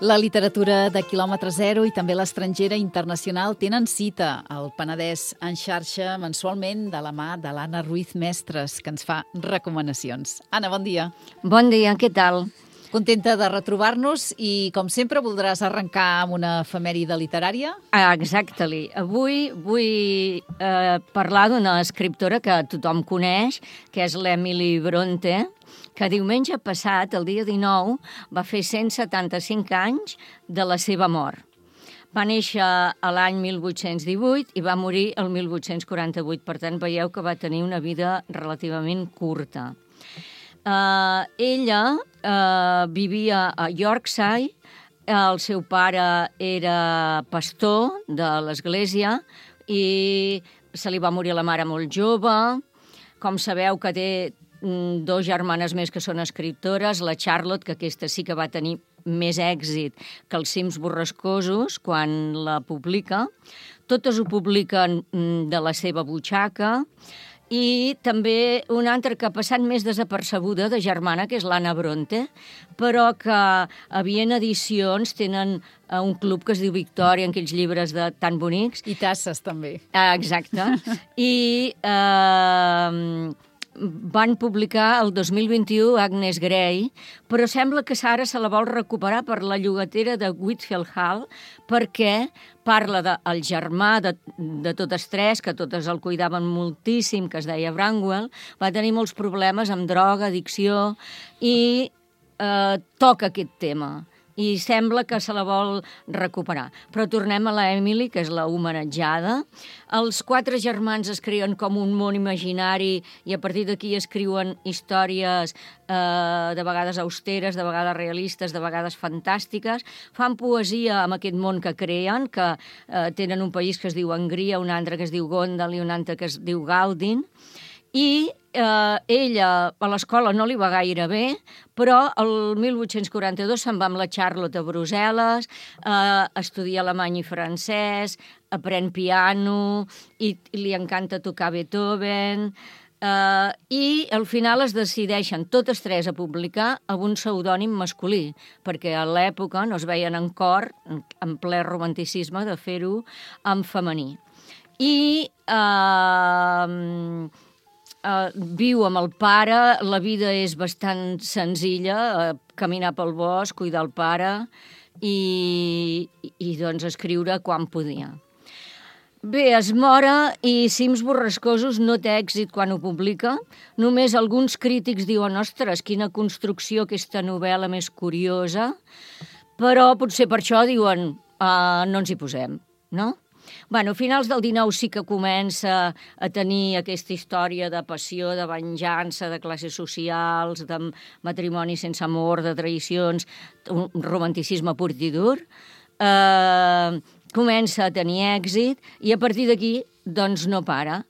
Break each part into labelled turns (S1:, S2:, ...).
S1: La literatura de quilòmetre zero i també l'estrangera internacional tenen cita al Penedès en xarxa mensualment de la mà de l'Anna Ruiz Mestres, que ens fa recomanacions. Anna, bon dia.
S2: Bon dia, què tal?
S1: Contenta de retrobar-nos i, com sempre, voldràs arrencar amb una efemèride literària?
S2: Exactly. Avui vull parlar d'una escriptora que tothom coneix, que és l'Emily Brontë, que diumenge passat, el dia 19, va fer 175 anys de la seva mort. Va néixer a l'any 1818 i va morir el 1848. Per tant, veieu que va tenir una vida relativament curta. Ella vivia a Yorkshire, el seu pare era pastor de l'església i se li va morir la mare molt jove. Com sabeu que té dos germanes més que són escriptores, la Charlotte, que aquesta sí que va tenir més èxit que els Cims borrascosos quan la publica. Totes ho publiquen de la seva butxaca. I també una altra que ha passat més desapercebuda de germana, que és l'Anna Brontë, però que a Viena Edicions tenen un club que es diu Victòria, en aquells llibres tan bonics.
S1: I tasses, també.
S2: Exacte. I van publicar el 2021 Agnes Grey, però sembla que ara se la vol recuperar per la llogatera de Whitfield Hall, perquè parla del germà de totes tres, que totes el cuidaven moltíssim, que es deia Branwell, va tenir molts problemes amb droga, addicció, i toca aquest tema. I sembla que se la vol recuperar. Però tornem a la Emily, que és la homenatjada. Els quatre germans es creen com un món imaginari i a partir d'aquí escriuen històries de vegades austeres, de vegades realistes, de vegades fantàstiques. Fan poesia amb aquest món que creen, que tenen un país que es diu Hongria, un altre que es diu Gondal i un altre que es diu Galdin. I ella a l'escola no li va gaire bé, però el 1842 se'n va amb la Charlotte a Brussel·les, estudia alemany i francès, aprèn piano i li encanta tocar Beethoven, i al final es decideixen totes tres a publicar amb un pseudònim masculí, perquè a l'època no es veien en cor, en ple romanticisme, de fer-ho en femení. I viu amb el pare, la vida és bastant senzilla, caminar pel bosc, cuidar el pare i doncs escriure quan podia. Bé, es mora i Cims borrascosos no té èxit quan ho publica. Només alguns crítics diuen, ostres, quina construcció, aquesta novel·la més curiosa, però potser per això diuen, no ens hi posem, no? Bueno, a finals del 19 sí que comença a tenir aquesta història de passió, de venjança, de classes socials, de matrimoni sense amor, de traïcions, un romanticisme pur i dur. Comença a tenir èxit i a partir d'aquí, doncs, no para.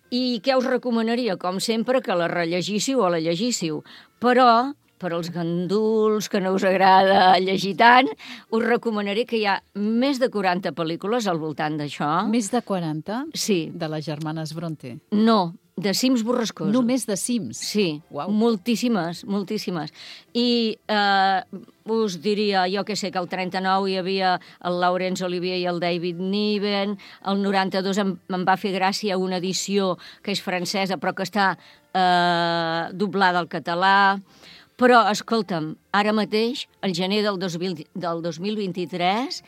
S2: I què us recomanaria? Com sempre, que la rellegíssiu o la llegíssiu, però per als ganduls que no us agrada llegir tant, us recomanaré que hi ha més de 40 pel·lícules al voltant d'això.
S1: Més de 40?
S2: Sí.
S1: De les germanes Brontë?
S2: No, de Cims borrascosos.
S1: Només de Cims?
S2: Sí,
S1: Uau.
S2: moltíssimes, moltíssimes. I us diria, jo que sé, que el 39 hi havia el Laurence Olivier i el David Niven, el 92 em va fer gràcia una edició que és francesa però que està doblada al català. Però, escolta'm, ara mateix, al gener del 2023,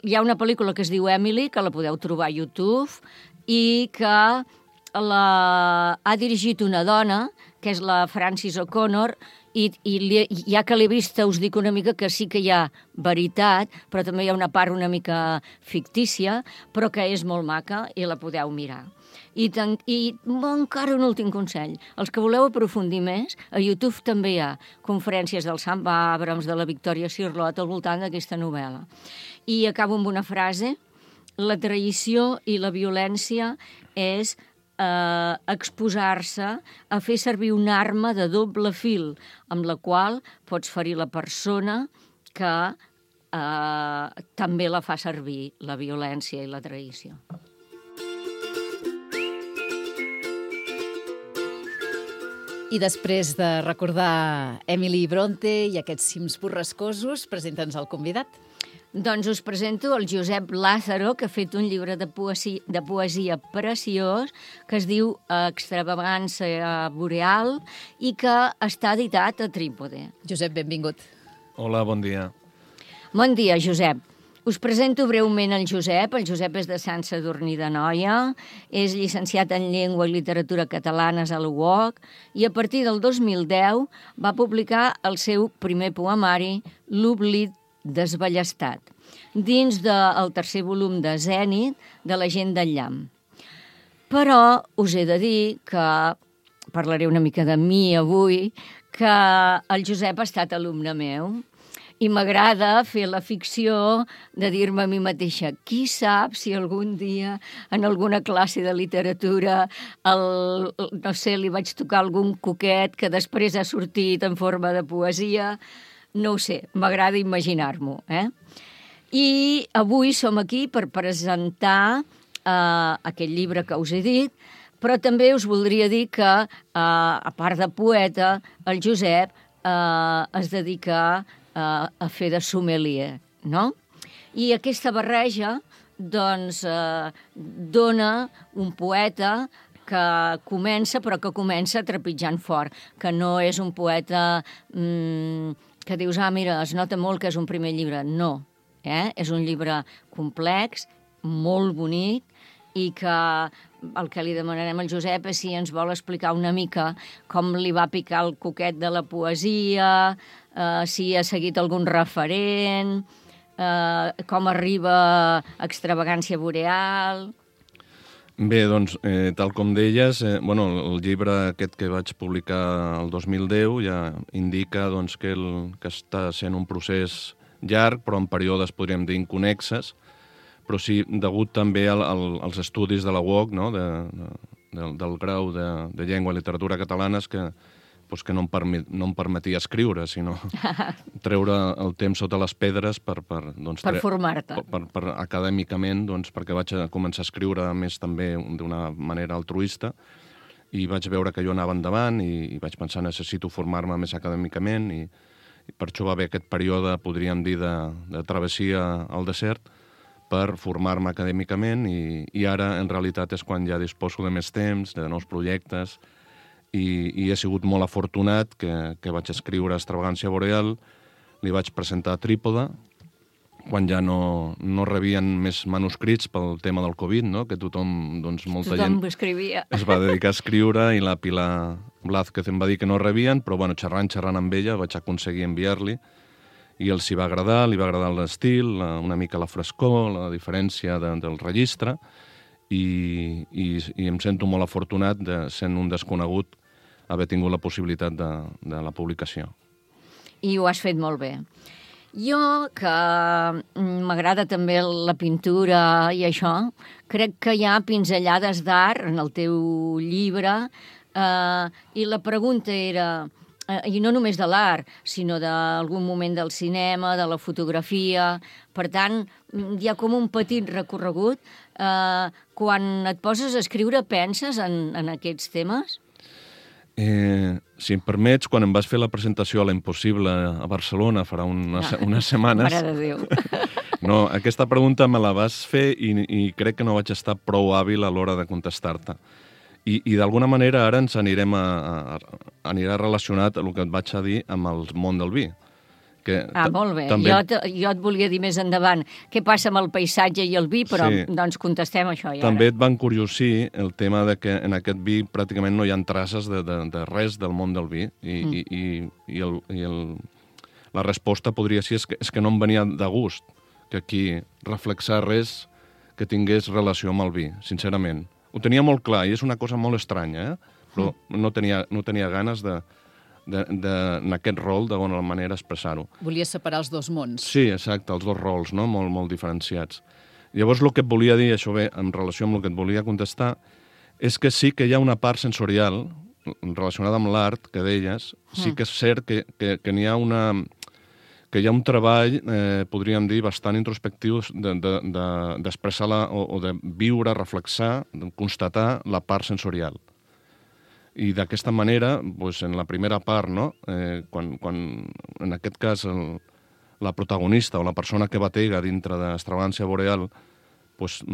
S2: hi ha una pel·lícula que es diu Emily, que la podeu trobar a YouTube, i que ha dirigit una dona, que és la Frances O'Connor, i ja que l'he vista us dic una mica que sí que hi ha veritat, però també hi ha una part una mica fictícia, però que és molt maca i la podeu mirar. I encara un últim consell. Els que voleu aprofundir més, a YouTube també hi ha conferències del Sam Abrams, de la Victoria Cirlot, al voltant d'aquesta novel·la. I acabo amb una frase. La traïció i la violència és exposar-se a fer servir una arma de doble fil, amb la qual pots ferir la persona que també la fa servir, la violència i la traïció.
S1: I després de recordar Emily Bronte i aquests cims borrascosos, presenta'ns el convidat.
S2: Doncs us presento el Josep Lázaro, que ha fet un llibre de poesia preciós que es diu Extravagància boreal i que està editat a Trípode.
S1: Josep, benvingut.
S3: Hola, bon dia.
S2: Bon dia, Josep. Us presento breument el Josep. El Josep és de Sant Sadurní d'Anoia, és llicenciat en Llengua i Literatura Catalanes a la UOC i a partir del 2010 va publicar el seu primer poemari, L'oblit desballestat, dins del tercer volum de Zènit de la gent del llamp. Però us he de dir que, parlaré una mica de mi avui, que el Josep ha estat alumne meu i m'agrada fer la ficció de dir-me a mi mateixa qui sap si algun dia en alguna classe de literatura no sé, li vaig tocar algun coquet que després ha sortit en forma de poesia. No ho sé, m'agrada imaginar-m'ho. I avui som aquí per presentar aquest llibre que us he dit, però també us voldria dir que, a part de poeta, el Josep es dedica a fer de sommelier, no? I aquesta barreja, doncs, dona un poeta que comença, però que comença trepitjant fort, que no és un poeta que dius, mira, es nota molt que és un primer llibre. No, és un llibre complex, molt bonic, i que el que li demanarem al Josep és si ens vol explicar una mica com li va picar el coquet de la poesia, si ha seguit algun referent, com arriba a Extravagància boreal.
S3: Bé, doncs, tal com deies, el llibre aquest que vaig publicar el 2010 ja indica doncs, que està sent un procés llarg, però en períodes, podríem dir, inconnexes, però sí, degut també als estudis de la UOC, no? del grau de Llengua i Literatura Catalanes, que no em permetia escriure, sinó treure el temps sota les pedres per
S2: formar-te.
S3: Per acadèmicament, doncs, perquè vaig començar a escriure més també d'una manera altruista i vaig veure que jo anava endavant i vaig pensar necessito formar-me més acadèmicament i per això va haver aquest període, podríem dir, de travessia al desert per formar-me acadèmicament i ara, en realitat, és quan ja disposo de més temps, de nous projectes, i he sigut molt afortunat que vaig escriure Extravagància boreal, li vaig presentar a Trípode, quan ja no rebien més manuscrits pel tema del Covid, no? Que tothom, doncs, molta gent
S2: escrivia.
S3: Es va dedicar a escriure i la Pilar Blázquez em va dir que no rebien, però xerrant amb ella vaig aconseguir enviar-li i els hi va agradar, li va agradar l'estil, una mica la frescor, la diferència del registre, i em sento molt afortunat, sent un desconegut, haver tingut la possibilitat de la publicació.
S2: I ho has fet molt bé. Jo, que m'agrada també la pintura i això, crec que hi ha pinzellades d'art en el teu llibre, i la pregunta era, i no només de l'art, sinó d'algun moment del cinema, de la fotografia. Per tant, hi ha com un petit recorregut. Quan et poses a escriure, penses en aquests temes?
S3: Si em permets, quan em vas fer la presentació a l'Impossible a Barcelona farà unes setmanes...
S2: Mare de Déu!
S3: No, aquesta pregunta me la vas fer i crec que no vaig estar prou hàbil a l'hora de contestar-te. I d'alguna manera ara ens anirà relacionat el que et vaig a dir amb el món del vi.
S2: Molt bé. També... Jo et volia dir més endavant què passa amb el paisatge i el vi, però sí. Doncs contestem això ja.
S3: També et va encuriosir el tema de que en aquest vi pràcticament no hi ha traces de res del món del vi. La resposta podria ser és que no em venia de gust que aquí reflexar res que tingués relació amb el vi, sincerament. Ho tenia molt clar i és una cosa molt estranya, però no tenia ganes en aquest rol, d'alguna manera, expressar-ho.
S1: Volies separar els dos mons.
S3: Sí, exacte, els dos rols, no? Molt diferenciats. Llavors, el que et volia dir, això bé, en relació amb el que et volia contestar, és que sí que hi ha una part sensorial relacionada amb l'art, que deies, sí que és cert que n'hi ha que hi ha un treball, podríem dir, bastant introspectiu d'expressar o de viure, reflexar, de constatar la part sensorial. I d'aquesta manera, doncs, en la primera part, no? Quan en aquest cas la protagonista o la persona que batega dintre d'Extravagància Boreal doncs,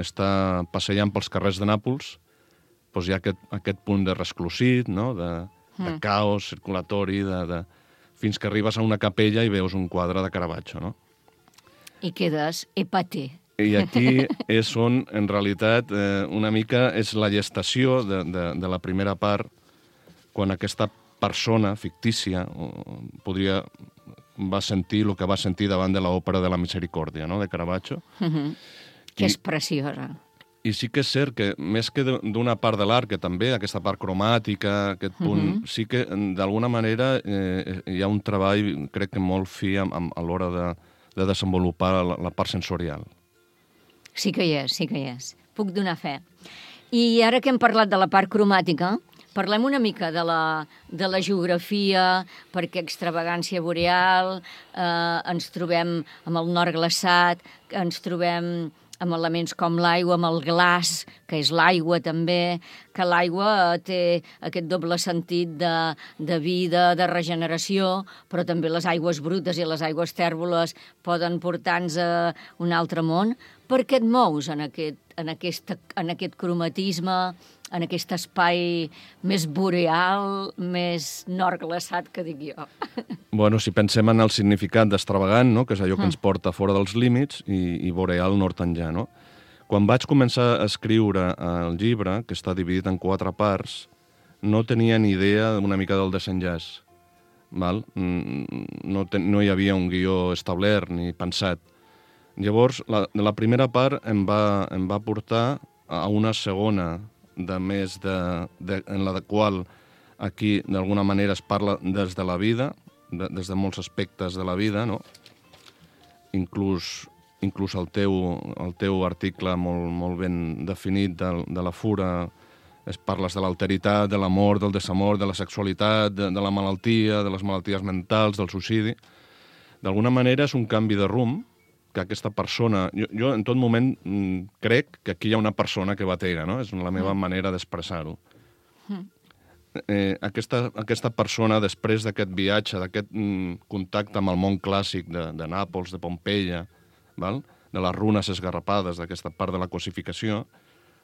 S3: està passejant pels carrers de Nàpols, doncs hi ha aquest punt de resclosit, no? De caos circulatori, fins que arribes a una capella i veus un quadre de Caravaggio, no?
S2: I quedes épaté.
S3: I aquí és on, en realitat, una mica és la gestació de la primera part, quan aquesta persona fictícia va sentir el que va sentir davant de l'òpera de la Misericòrdia, no?, de Caravaggio.
S2: Que és preciosa.
S3: I sí que és cert que, més que d'una part de l'art, que també aquesta part cromàtica, aquest punt, sí que d'alguna manera hi ha un treball, crec que molt fi a l'hora de desenvolupar la part sensorial.
S2: Sí que hi és. Puc donar fe. I ara que hem parlat de la part cromàtica, parlem una mica de la geografia, perquè Extravagància Boreal, ens trobem amb el nord glaçat, ens trobem amb elements com l'aigua, amb el glaç, que és l'aigua també, que l'aigua té aquest doble sentit de vida, de regeneració, però també les aigües brutes i les aigües tèrboles poden portar-nos a un altre món. Per què et mous en aquest cromatisme, en aquest espai més boreal, més nord glaçat, que dic jo?
S3: Bueno, si pensem en el significat d'extravagant, no?, que és allò que ens porta fora dels límits, i boreal nord enllà, no? Quan vaig començar a escriure el llibre, que està dividit en 4 parts, no tenia ni idea una mica del desenllaç. Val? No hi havia un guió establert ni pensat. Llavors, la primera part em va portar a una segona, en la qual aquí d'alguna manera es parla des de la vida, des de molts aspectes de la vida, no? Inclús el teu article molt ben definit de la fura, parles de l'alteritat, de l'amor, del desamor, de la sexualitat, de la malaltia, de les malalties mentals, del suïcidi. D'alguna manera és un canvi de rumb que aquesta persona... Jo en tot moment crec que aquí hi ha una persona que batega, no? És la meva manera d'expressar-ho. Aquesta persona, després d'aquest viatge, d'aquest contacte amb el món clàssic de Nàpols, de Pompeia, val? De les runes esgarrapades, d'aquesta part de la cosificació,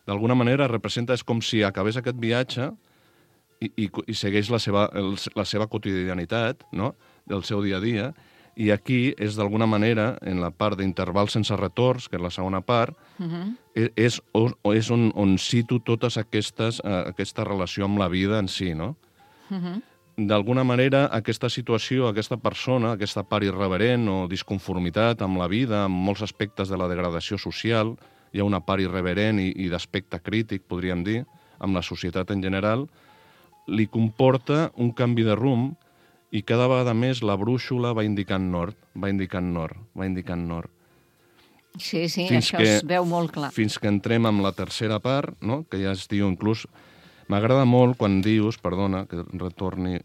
S3: d'alguna manera representa, és com si acabés aquest viatge i segueix la seva quotidianitat, no?, del seu dia a dia. I aquí és, d'alguna manera, en la part d'intervals sense retorns, que és la segona part, és on cito totes aquesta relació amb la vida en si, no? D'alguna manera, aquesta situació, aquesta persona, aquesta part irreverent o disconformitat amb la vida, amb molts aspectes de la degradació social, hi ha una part irreverent i d'aspecte crític, podríem dir, amb la societat en general, li comporta un canvi de rumb i cada vegada més la brúixola va indicant nord.
S2: Sí, això es veu molt clar.
S3: Fins que entrem amb la tercera part, no?, que ja es diu inclús... M'agrada molt quan dius, perdona, que retorni,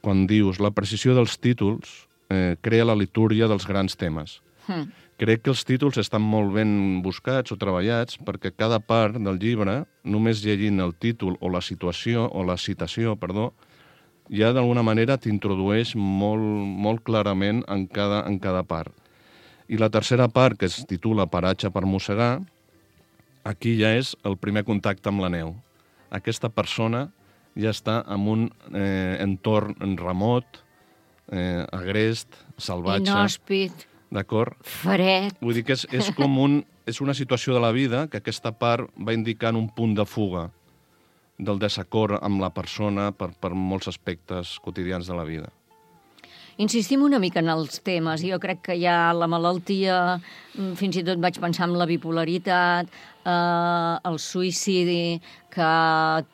S3: quan dius la precisió dels títols crea la litúrgia dels grans temes. Crec que els títols estan molt ben buscats o treballats perquè cada part del llibre, només llegint el títol o la situació o la citació, ja d'alguna manera t'introdueix molt clarament en cada part. I la tercera part, que es titula Paratge per mossegar, aquí ja és el primer contacte amb la neu. Aquesta persona ja està en un entorn remot, agrest, salvatge...
S2: Inhòspit, fred...
S3: Vull dir que és una situació de la vida que aquesta part va indicant un punt de fuga del desacord amb la persona per molts aspectes quotidians de la vida.
S2: Insistim una mica en els temes. Jo crec que hi ha la malaltia, fins i tot vaig pensar en la bipolaritat, el suïcidi, que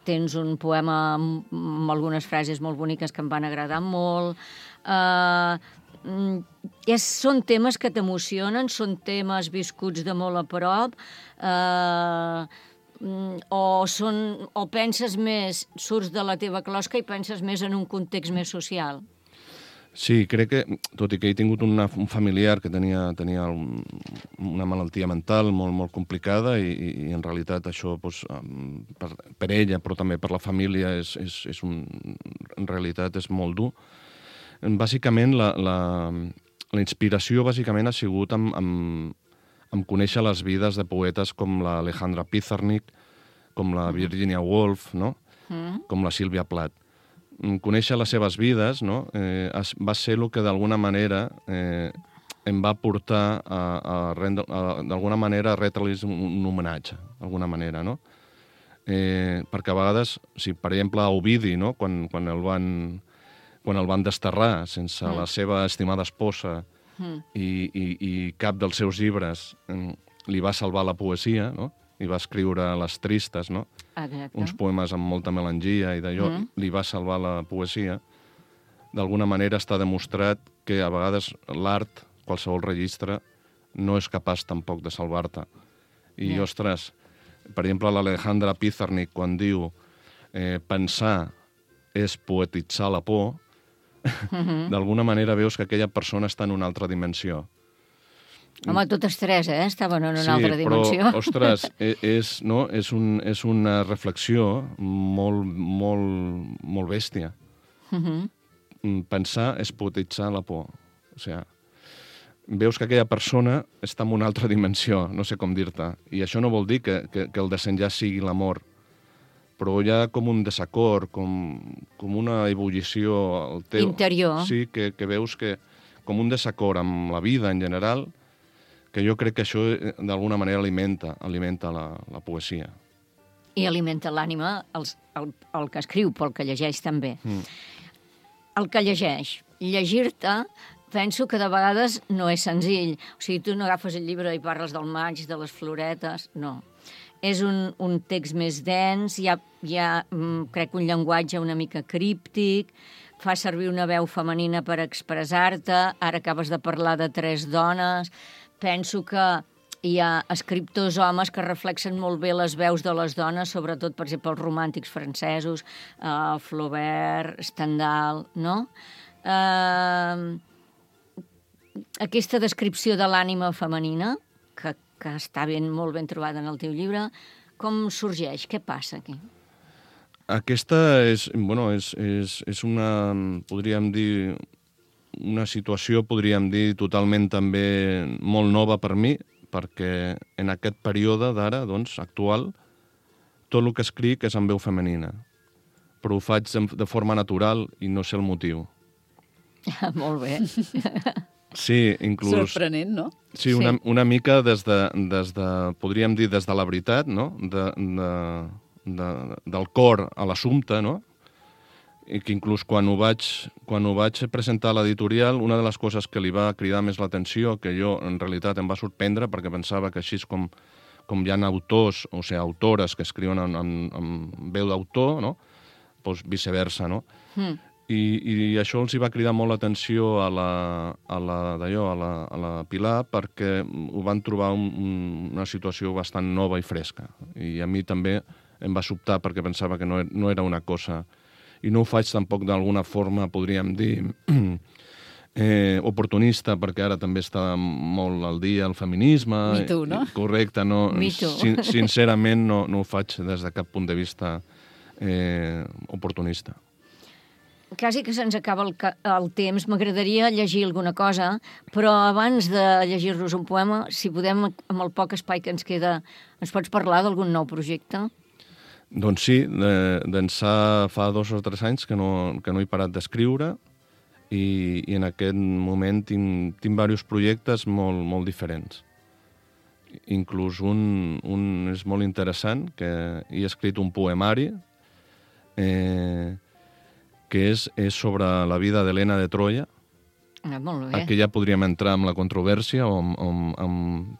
S2: tens un poema amb algunes frases molt boniques que em van agradar molt. Són temes que t'emocionen, són temes viscuts de molt a prop, o penses més, surts de la teva closca i penses més en un context més social?
S3: Sí, crec que, tot i que he tingut un familiar que tenia una malaltia mental molt complicada i en realitat això per ella, però també per la família, en realitat és molt dur. Bàsicament, la inspiració bàsicament ha sigut amb conèixer les vides de poetes com l'Alejandra Pizarnik, com la Virginia Woolf, no? Com la Sílvia Plath. Conèixer les seves vides, no? Va ser el que d'alguna manera em va portar d'alguna manera a retre-los un homenatge, d'alguna manera, no? Perquè a vegades, per exemple, a Ovidi, no? Quan el van desterrar sense la seva estimada esposa i cap dels seus llibres li va salvar la poesia, no? I va escriure Les Tristes, no?
S2: Exacte.
S3: Uns poemes amb molta melangia i d'allò, li va salvar la poesia. D'alguna manera està demostrat que a vegades l'art, qualsevol registre, no és capaç tampoc de salvar-te. I, ostres, per exemple, l'Alejandra Pizarnik, quan diu pensar és poetitzar la por, d'alguna manera veus que aquella persona està en una altra dimensió.
S2: Home, totes tres, estaven en una altra dimensió.
S3: Sí, però, ostres, és una reflexió molt bèstia. Pensar és poetitzar la por. O sigui, veus que aquella persona està en una altra dimensió, no sé com dir-te. I això no vol dir que el desenllaç sigui l'amor, però hi ha com un desacord, com una ebullició al teu...
S2: Interior.
S3: Sí, que veus que com un desacord amb la vida en general, que jo crec que això d'alguna manera alimenta la poesia.
S2: I alimenta l'ànima el que escriu, pel que llegeix també. El que llegeix. Llegir-te, penso que de vegades no és senzill. O sigui, tu no agafes el llibre i parles del maig, de les floretes, no. És un text més dens, hi ha crec, un llenguatge una mica críptic, fa servir una veu femenina per expressar-te, ara acabes de parlar de 3 dones... Penso que hi ha escriptors homes que reflexen molt bé les veus de les dones, sobretot, per exemple, els romàntics francesos, Flaubert, Stendhal, no? Aquesta descripció de l'ànima femenina, que està molt ben trobada en el teu llibre, com sorgeix? Què passa aquí?
S3: Aquesta és una, podríem dir, una situació, podríem dir, totalment també molt nova per mi, perquè en aquest període d'ara, doncs, actual, tot el que escric és en veu femenina. Però ho faig de forma natural i no sé el motiu.
S2: Molt bé.
S3: Sí, inclús...
S1: Sorprenent, no?
S3: Sí, una mica des de, podríem dir, des de la veritat, no? Del cor a l'assumpte, no? I que inclús quan ho vaig presentar a l'editorial, una de les coses que li va cridar més l'atenció, que jo en realitat em va sorprendre, perquè pensava que així com hi ha autors, o sigui, autores que escriuen amb veu d'autor, no? Doncs viceversa, no? I això els hi va cridar molt l'atenció a la Pilar, perquè ho van trobar una situació bastant nova i fresca. I a mi també em va sobtar, perquè pensava que no era una cosa... I no ho faig tampoc d'alguna forma, podríem dir, oportunista, perquè ara també està molt al dia el feminisme.
S2: Me too, no?
S3: Correcte, no.
S2: Me too.
S3: Sincerament no ho faig des de cap punt de vista oportunista.
S2: Quasi que se'ns acaba el temps. M'agradaria llegir alguna cosa, però abans de llegir-nos un poema, si podem, amb el poc espai que ens queda, ens pots parlar d'algun nou projecte?
S3: Doncs sí, d'ençà fa 2 o 3 anys que no he parat d'escriure i en aquest moment tinc diversos projectes molt diferents. Inclús un és molt interessant, que he escrit un poemari que és sobre la vida d'Helena de Troia.
S2: Molt bé.
S3: Aquí ja podríem entrar en la controvèrsia o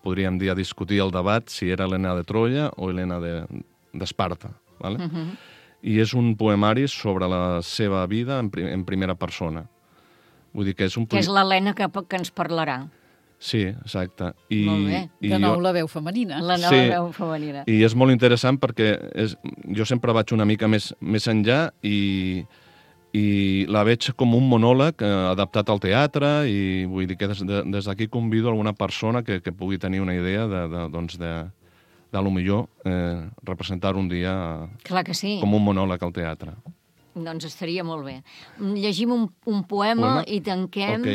S3: podríem dir a discutir el debat si era Helena de Troia o Helena d'Esparta. ¿Vale? I és un poemari sobre la seva vida en primera persona. Vull dir que és
S2: que és l'Helena que ens parlarà.
S3: Sí, exacte.
S2: Molt bé.
S1: De nou la veu femenina.
S2: La nova veu femenina.
S3: I és molt interessant perquè jo sempre vaig una mica més enllà i i la veig com un monòleg adaptat al teatre i vull dir que des d'aquí convido alguna persona que pugui tenir una idea de lo millor representar un dia
S2: Clar que sí.
S3: com un monòleg al teatre.
S2: Doncs estaria molt bé. Llegim un poema i tanquem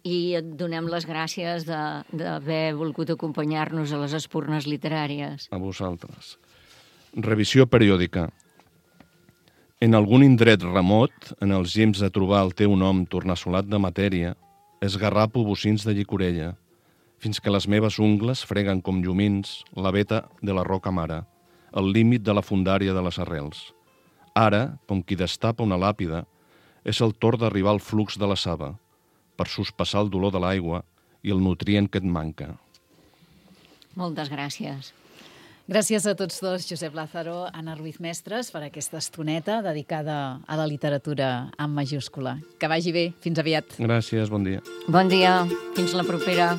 S2: i et donem les gràcies d'haver volgut acompanyar-nos a les espurnes literàries.
S3: A vosaltres. Revisió periòdica. En algun indret remot, en els gims de trobar el teu nom tornassolat de matèria, esgarrapo bocins de llicorella, fins que les meves ungles freguen com llumins la veta de la roca mare, el límit de la fundària de les arrels. Ara, com qui destapa una làpida, és el torn d'arribar al flux de la saba, per sospassar el dolor de l'aigua i el nutrient que et manca.
S2: Moltes gràcies.
S1: Gràcies a tots dos, Josep Lázaro, Anna Ruiz Mestres, per aquesta estoneta dedicada a la literatura amb majúscula. Que vagi bé. Fins aviat.
S3: Gràcies, bon dia.
S2: Bon dia. Fins la propera.